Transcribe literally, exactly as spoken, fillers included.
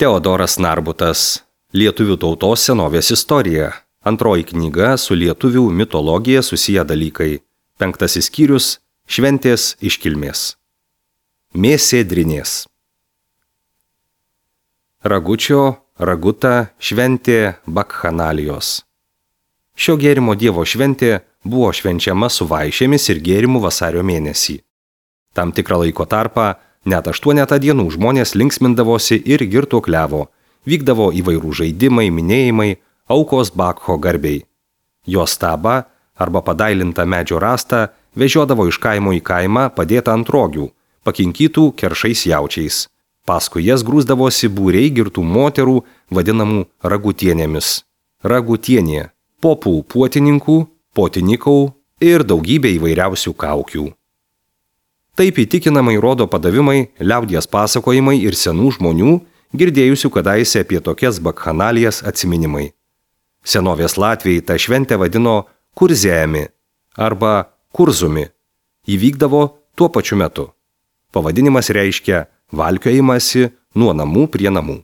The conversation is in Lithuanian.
Teodoras Narbutas. Lietuvių tautos senovės istorija. Antroji knyga su lietuvių mitologija susiję dalykai. Penktasis skyrius – šventės iškilmės. Mėsėdrinės. Ragučio, raguta, šventė bakhanalijos. Šio gėrimo dievo šventė buvo švenčiama su vaišėmis ir gėrimu vasario mėnesį. Tam tikrą laiko tarpą net aštuonetą dienų žmonės linksmindavosi ir girtuokliavo, vykdavo įvairų žaidimai, minėjimai, aukos Bakcho garbei. Jo stabą arba padailintą medžio rastą vežiodavo iš kaimo į kaimą padėtą ant rogių, pakinkytų keršais jaučiais. Paskui jas grūsdavosi būriai girtų moterų, vadinamų ragutienėmis. Ragutienė – popų puotininkų, potinikų ir daugybė įvairiausių kaukių. Taip įtikinamai rodo padavimai, liaudies pasakojimai ir senų žmonių, girdėjusių kadaise apie tokias bakhanalijas atsiminimai. Senovės latviai tą šventę vadino kurzėjami arba kurzumi. Įvykdavo tuo pačiu metu. Pavadinimas reiškia valkiojimąsi nuo namų prie namų.